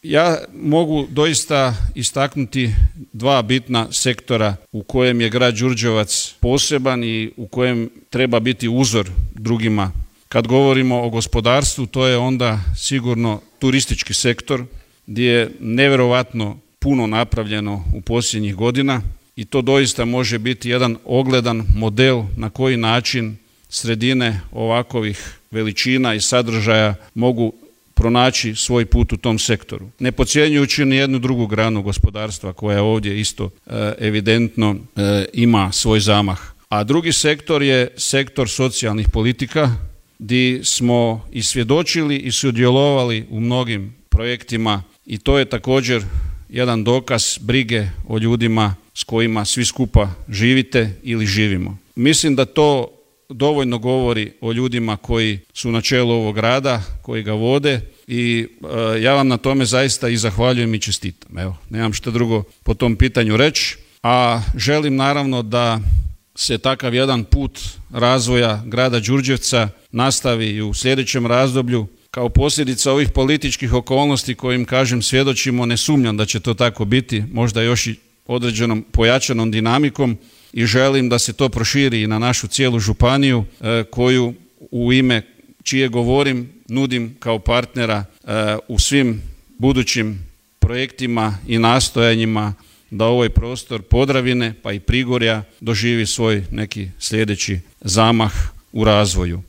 Ja mogu doista istaknuti dva bitna sektora u kojem je grad Đurđevac poseban i u kojem treba biti uzor drugima. Kad govorimo o gospodarstvu, to je onda sigurno turistički sektor gdje je nevjerovatno puno napravljeno u posljednjih godina i to doista može biti jedan ogledan model na koji način sredine ovakovih veličina i sadržaja mogu pronaći svoj put u tom sektoru. Ne podcjenjujući ni jednu drugu granu gospodarstva koja ovdje isto evidentno ima svoj zamah. A drugi sektor je sektor socijalnih politika gdje smo i svjedočili i sudjelovali u mnogim projektima i to je također jedan dokaz brige o ljudima s kojima svi skupa živite ili živimo. Mislim da to dovoljno govori o ljudima koji su na čelu ovog grada, koji ga vode i ja vam na tome zaista i zahvaljujem i čestitam. Evo, nemam što drugo po tom pitanju reći, a želim naravno da se takav jedan put razvoja grada Đurđevca nastavi i u sljedećem razdoblju. Kao posljedica ovih političkih okolnosti kojim, kažem, svjedočimo, ne sumnjam da će to tako biti, možda još i određenom pojačanom dinamikom i želim da se to proširi i na našu cijelu županiju koju u ime čije govorim nudim kao partnera u svim budućim projektima i nastojanjima da ovaj prostor Podravine pa i Prigorja doživi svoj neki sljedeći zamah u razvoju.